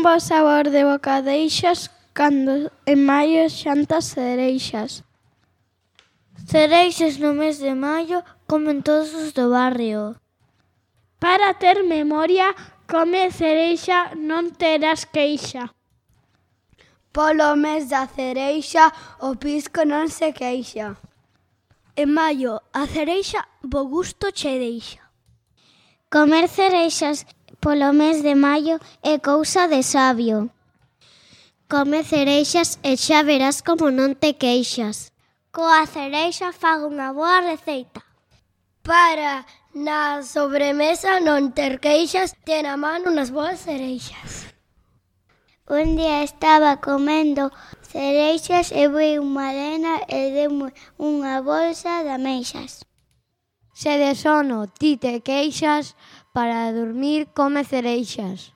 bo sabor de boca deixas cando en maio xantas cereixas. Cereixas no mes de maio comen todos os do barrio. Para ter memoria, come cereixa, non terás queixa. Polo mes da cereixa, o pisco non se queixa. En maio, a cereixa bo gusto che deixa. Comer cereixas polo mes de maio é cousa de sabio. Come cereixas e xa verás como non te queixas. Coa cereixa fago unha boa receita. Para na sobremesa non ter queixas, ten a man unhas boas cereixas. Un día estaba comendo cereixas e vi unha nena e deu-me unha bolsa de ameixas. Se de sono ti te queixas, para dormir come cereixas.